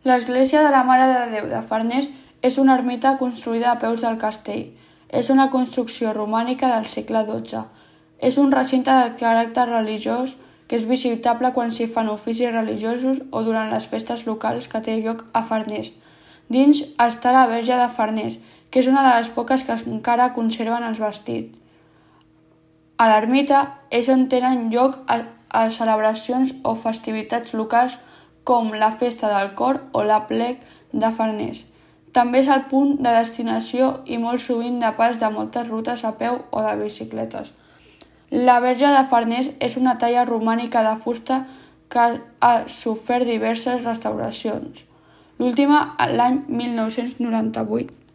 L'església de la Mare de Déu de Farners és una ermita construïda a peus del castell. És una construcció romànica del segle XII. És un recinte de caràcter religiós que és visitable quan s'hi fan oficis religiosos o durant les festes locals que té lloc a Farners. Dins està la Verge de Farners, que és una de les poques que encara conserven els vestits. A l'ermita és on tenen lloc a celebracions o festivitats locals com la Festa del Cor o l'Aplec de Farners. També és el punt de destinació i molt sovint de pas de moltes rutes a peu o de bicicletes. La Verge de Farners és una talla romànica de fusta que ha sofert diverses restauracions, l'última l'any 1998.